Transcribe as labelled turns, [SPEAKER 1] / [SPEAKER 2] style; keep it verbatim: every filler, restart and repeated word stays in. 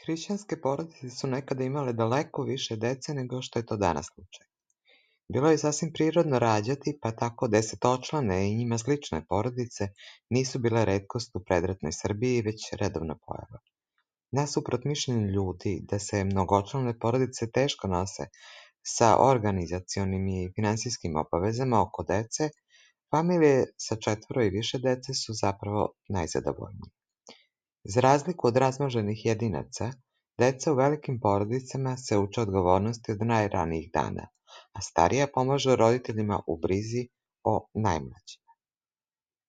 [SPEAKER 1] Hrišćanske porodice su nekada imale daleko više dece nego što je to danas slučaj. Bilo je sasvim prirodno rađati, pa tako desetočlane i njima slične porodice nisu bile retkost u predratnoj Srbiji, već redovna pojava. Nasuprot mišljenju ljudi da se mnogočlane porodice teško nose sa organizacionim i finansijskim obavezama oko dece, familije sa četvoro i više dece su zapravo najzadovoljnije. Za razliku od razmnoženih jedinaca, deca u velikim porodicama se uče odgovornosti od najranijih dana, a starija pomažu roditeljima u brizi o najmlađim.